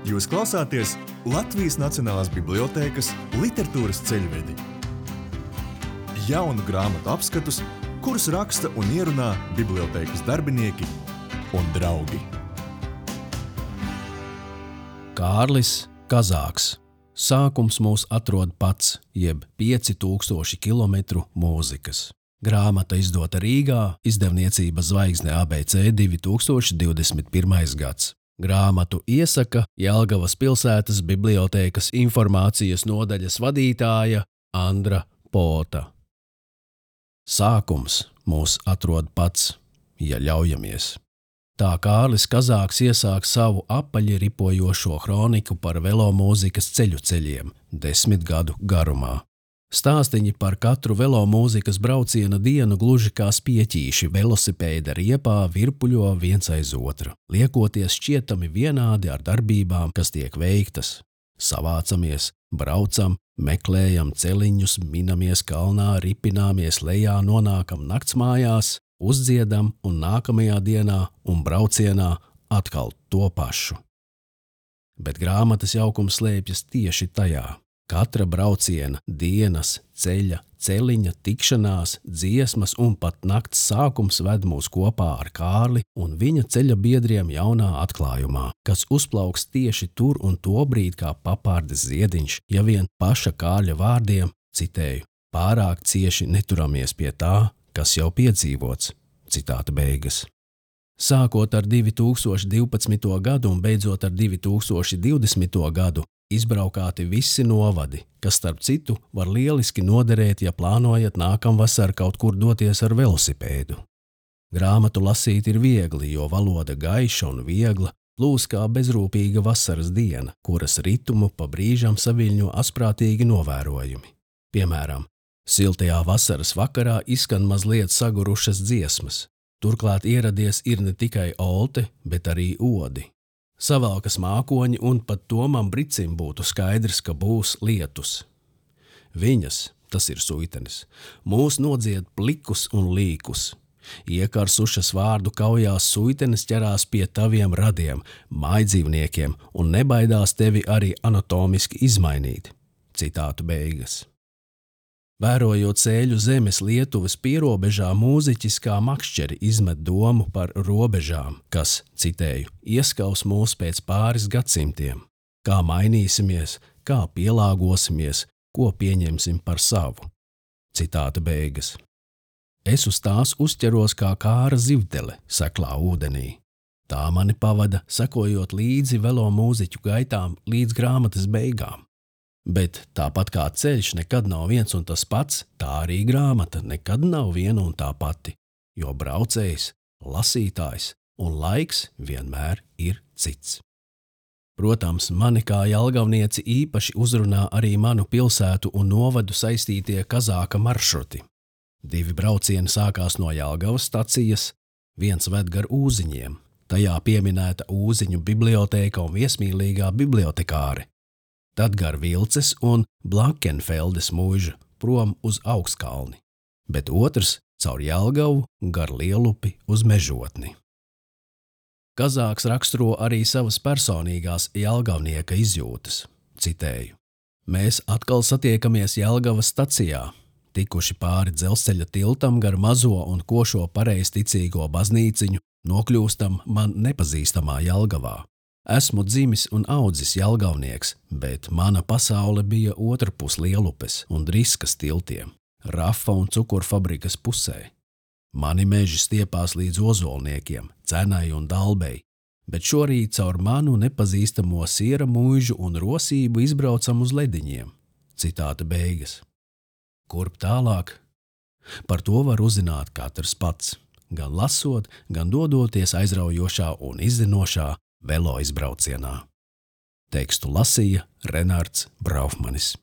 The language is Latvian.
Jūs klausāties Latvijas Nacionālās bibliotēkas literatūras ceļvedi. Jaunu grāmatu apskatus, kurus raksta un ierunā bibliotēkas darbinieki un draugi. Kārlis Kazāks. Sākums mūs atrod pats, jeb 5000 kilometru mūzikas. Grāmata izdota Rīgā, izdevniecība Zvaigzne ABC 2021. gads. Grāmatu iesaka Jelgavas pilsētas bibliotēkas informācijas nodaļas vadītāja Andra Pota. Sākums mūs atrod pats, ja ļaujamies. Tā Kārlis Kazāks iesāk savu apaļi ripojošo kroniku par velomūzikas ceļiem 10 gadu garumā. Stāstiņi par katru velomūzikas brauciena dienu gluži kā spieķīši velosipēda riepā virpuļo viens aiz otra, liekoties šķietami vienādi ar darbībām, kas tiek veiktas. Savācamies, braucam, meklējam celiņus, minamies kalnā, ripināmies lejā, nonākam naktsmājās, uzdziedam un nākamajā dienā un braucienā atkal to pašu. Bet grāmatas jaukums slēpjas tieši tajā. Katra brauciena, dienas, ceļa, celiņa, tikšanās, dziesmas un pat nakts sākums ved mūs kopā ar Kārli un viņa ceļa biedriem jaunā atklājumā, kas uzplauks tieši tur un tobrīd kā papārdes ziediņš, ja vien paša Kārļa vārdiem, citēju, pārāk cieši neturamies pie tā, kas jau piedzīvots, citāta beigas. Sākot ar 2012. gadu un beidzot ar 2020. gadu, izbraukāti visi novadi, kas starp citu var lieliski noderēt, ja plānojat nākamvasar kaut kur doties ar velosipēdu. Grāmatu lasīt ir viegli, jo valoda gaiša un viegla, plūs kā bezrūpīga vasaras diena, kuras ritumu pa brīžam saviļņo asprātīgi novērojumi. Piemēram, siltajā vasaras vakarā izskan mazliet sagurušas dziesmas. Turklāt ieradies ir ne tikai olte, bet arī odi. Savalkas mākoņi un pat Tomam Bricim būtu skaidrs, ka būs lietus. Viņas, tas ir suitenes, mūs nodzied plikus un līkus. Iekarsušas vārdu kaujās suitenes ķerās pie taviem radiem, mājdzīvniekiem un nebaidās tevi arī anatomiski izmainīt. Citātu beigas. Vērojot ceļu zemes Lietuvas pierobežā, mūziķis kā makšķeri izmet domu par robežām, kas, citēju, ieskaus mūs pēc pāris gadsimtiem. Kā mainīsimies, kā pielāgosimies, ko pieņemsim par savu. Citāta beigas. Es uz tās uzķeros kā kāra zivdele seklā ūdenī. Tā mani pavada, sekojot līdzi velomūziķu gaitām līdz grāmatas beigām. Bet tāpat kā ceļš nekad nav viens un tas pats, tā arī grāmata nekad nav viena un tā pati, jo braucējs, lasītājs un laiks vienmēr ir cits. Protams, mani kā jelgavnieci īpaši uzrunā arī manu pilsētu un novadu saistītie Kazāka maršruti. 2 braucieni sākās no Jelgavas stacijas, viens ved gar Ūziņiem, tajā pieminēta Ūziņu bibliotēka un viesmīlīgā bibliotekāre. Tad gar Vilces un Blankenfeldes mūžu prom uz Augstkalni, bet otrs caur Jelgavu gar Lielupi uz Mežotni. Kazāks raksturo arī savas personīgās jelgavnieka izjūtas. Citēju. Mēs atkal satiekamies Jelgavas stacijā, tikuši pāri dzelzceļa tiltam gar mazo un košo pareizticīgo baznīciņu, nokļūstam man nepazīstamā Jelgavā. Esmu dzimis un audzis jelgavnieks, bet mana pasaule bija otrpus Lielupes un Driskas tiltiem, Rafa un cukurfabrikas pusē. Mani meži stiepās līdz Ozolniekiem, Cenai un Dalbei, bet šorīt caur manu nepazīstamo siera mūžu un rosību izbraucam uz Lediņiem. Citāta beigas. Kurp tālāk? Par to var uzzināt katrs pats, gan lasot, gan dodoties aizraujošā un izzinošā velo izbraucienā. Tekstu lasīja Renārds Braufmanis.